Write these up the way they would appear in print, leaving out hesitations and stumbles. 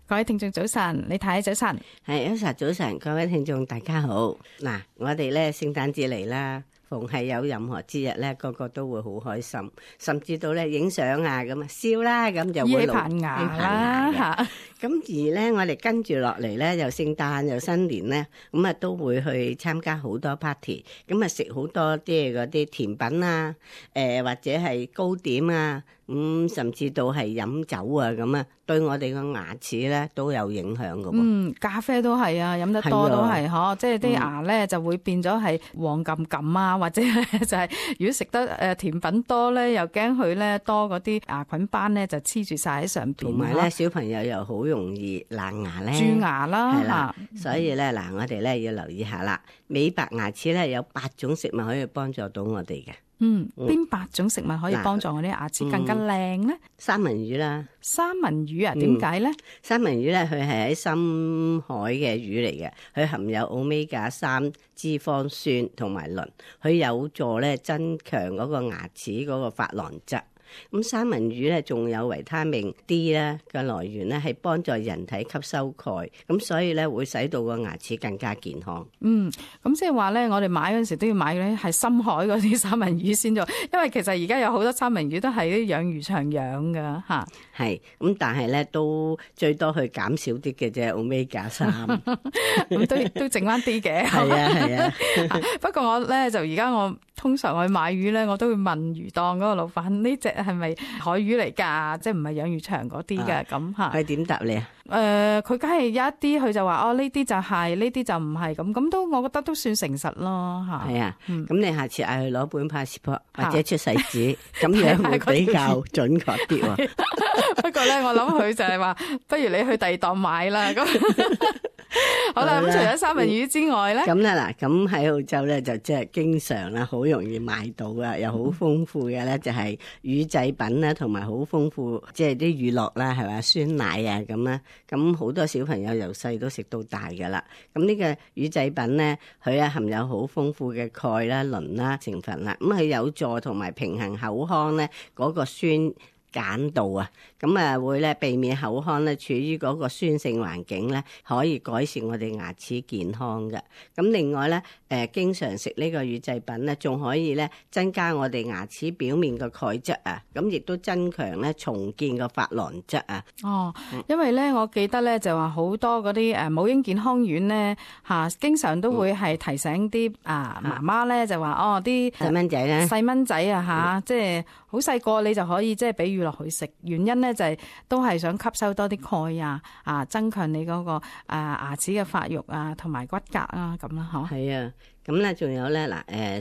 各位聽眾早晨，李太早晨，係Elsa早晨，各位聽眾大家好。嗱，我哋咧聖誕節嚟啦，逢係有任何節日咧，個個都會好開心，甚至到咧影相啊咁啊笑啦，咁就會椰棚牙啦嚇。咁而咧，我哋跟住落嚟咧，又聖誕又新年咧，咁啊都會去參加好多 party，咁啊食好多即係嗰啲甜品啊，或者係糕點啊。甚至到係飲酒啊咁啊，對我哋個牙齒咧都有影響㗎喎。咖啡都係啊，飲得多都係嗬，即係啲牙咧就會變咗係黃冚冚啊，或者就係如果食得甜品多咧，又驚佢咧多嗰啲牙菌斑咧就黐住晒喺上邊。同埋咧，小朋友又好容易爛牙咧，蛀牙啦，係啦，所以咧嗱，我哋咧要留意下啦。美白牙齒咧有8種食物可以幫助到我哋嘅。邊8種食物可以幫助我啲牙齒更加靚咧？三文魚啦，三文魚啊，點解咧？三文魚咧，佢係喺深海嘅魚嚟嘅，佢含有Omega-3脂肪酸同埋磷，佢有助咧增強嗰個牙齒嗰個珐琅質。咁三文魚咧仲有維他命 D 咧嘅來源咧，係幫助人體吸收鈣，咁所以咧會使到個牙齒更加健康。咁即係話咧，我哋買嗰陣時都要買咧係深海嗰啲三文魚先做，因為其實而家有好多三文魚都係啲養魚場養噶嚇。係，咁但係咧都最多去減少啲嘅啫，Omega-3，咁都剩翻啲嘅。係啊。不過我咧就而家我通常我去買魚咧，我都會問魚檔嗰個老闆呢隻係咪海魚嚟㗎？即係唔係養魚場嗰啲嘅咁嚇？佢點答你啊？佢梗係有一啲佢就話呢啲就係，呢啲就唔係咁都我覺得都算誠實咯嚇。係啊，咁你下次嗌佢攞本 passport 或者出世紙，咁樣會比較準確啲喎。不過咧，我諗佢就係話，不如你去第二檔買啦。咁好啦，咁除咗三文魚之外咧，咁咧嗱，咁喺澳洲咧就即係經常啦，好容易買到啊，又好豐富嘅咧就係乳製品啦，同埋好豐富即係啲乳酪啦，係咪酸奶啊咁啦，咁好多小朋友由細都食到大噶啦。咁呢個乳製品咧，佢啊含有好豐富嘅鈣啦、磷啦成分啦，咁佢有助同埋平衡口腔咧嗰個酸鹼度啊，咁啊會咧避免口腔咧處於嗰個酸性環境咧，可以改善我哋牙齒健康嘅。咁另外咧，經常食呢個乳製品咧，仲可以咧增加我哋牙齒表面嘅鈣質啊，咁亦都增強咧重建個珐琅質啊。因為咧我記得咧就話好多嗰啲母嬰健康院咧嚇，經常都會係提醒啲媽媽咧就話啲細蚊仔咧，細蚊仔啊嚇，即係好細個你就可以即係俾乳酪佢食，原因咧就係都係想吸收多啲鈣啊，增強你嗰個牙齒嘅發育啊，同埋骨骼啊咁啦，嗬。係啊，咁咧仲有咧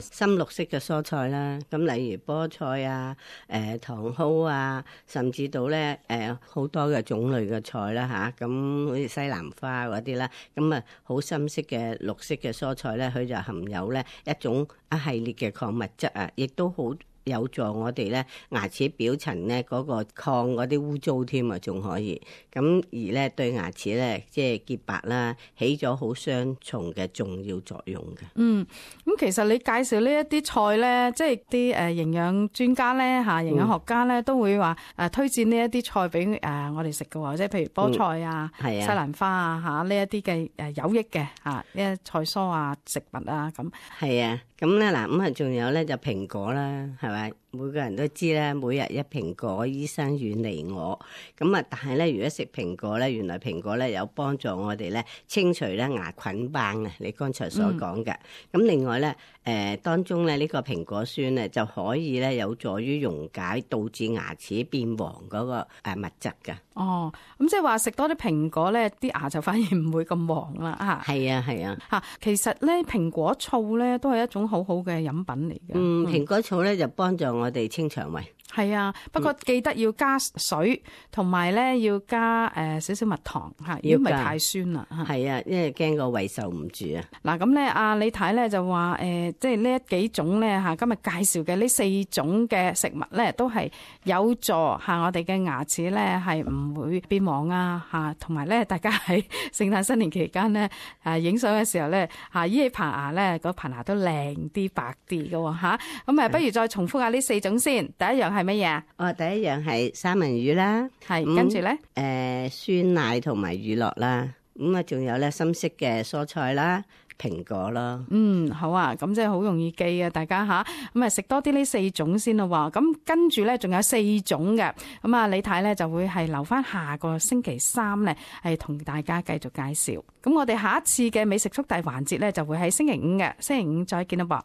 深綠色嘅蔬菜啦，咁例如菠菜啊、茼蒿啊，甚至到咧好多嘅種類嘅菜啦嚇，咁好似西蘭花嗰啲啦，咁啊好深色嘅綠色嘅蔬菜咧，佢就含有咧一種一系列嘅礦物質啊，亦都好有助我哋咧牙齒表層咧嗰個抗嗰啲污糟添啊，仲可以咁而咧對牙齒咧即係潔白啦，起咗好雙重嘅重要作用嘅。咁其實你介紹呢一啲菜咧，即係啲營養專家咧嚇，營養學家咧都會話推薦呢一啲菜俾我哋食嘅喎，即係譬如菠菜啊、西蘭花啊嚇呢一啲嘅有益嘅呢啲菜蔬啊食物啊咁。係啊。咁咧嗱，咁啊仲有咧就蘋果啦，係咪？每個人都知咧，每日一蘋果，醫生遠離我。咁啊，但係咧，如果食蘋果咧，原來蘋果咧有幫助我哋咧清除咧牙菌斑啊！你剛才所講嘅。咁另外咧，當中咧呢個蘋果酸咧就可以咧有助於溶解導致牙齒變黃嗰個物質㗎。咁即係話食多啲蘋果咧，啲牙就反而唔會咁黃啦嚇。係啊。其實咧蘋果醋咧都係一種好好嘅飲品嚟嘅。蘋果醋咧就幫助我哋清腸胃。係啊，不過記得要加水，同埋咧要加少少蜜糖嚇，如果唔係太酸啦嚇。係啊，因為驚個胃受唔住啊。嗱咁咧，李太咧就話即係呢幾種咧嚇，今日介紹嘅呢4種嘅食物咧，都係有助嚇我哋嘅牙齒咧係唔會變黃啊嚇，同埋咧大家喺聖誕新年期間咧影相嘅時候咧依起棚牙咧，嗰棚牙都靚啲白啲嘅喎嚇。咁不如再重複下呢4種先。第一樣係乜嘢啊？第一樣係三文魚啦，係跟住咧，酸奶同埋乳酪啦，咁啊仲有咧深色嘅蔬菜啦。蘋果咯，好啊，咁即係好容易記啊，大家吓，咁啊食多啲呢4種先咯喎，咁跟住咧仲有4種嘅，咁啊李太咧就會係留翻下個星期3咧係同大家繼續介紹，咁我哋下一次嘅美食速遞環節咧就會喺星期5嘅，星期5再見啦噃。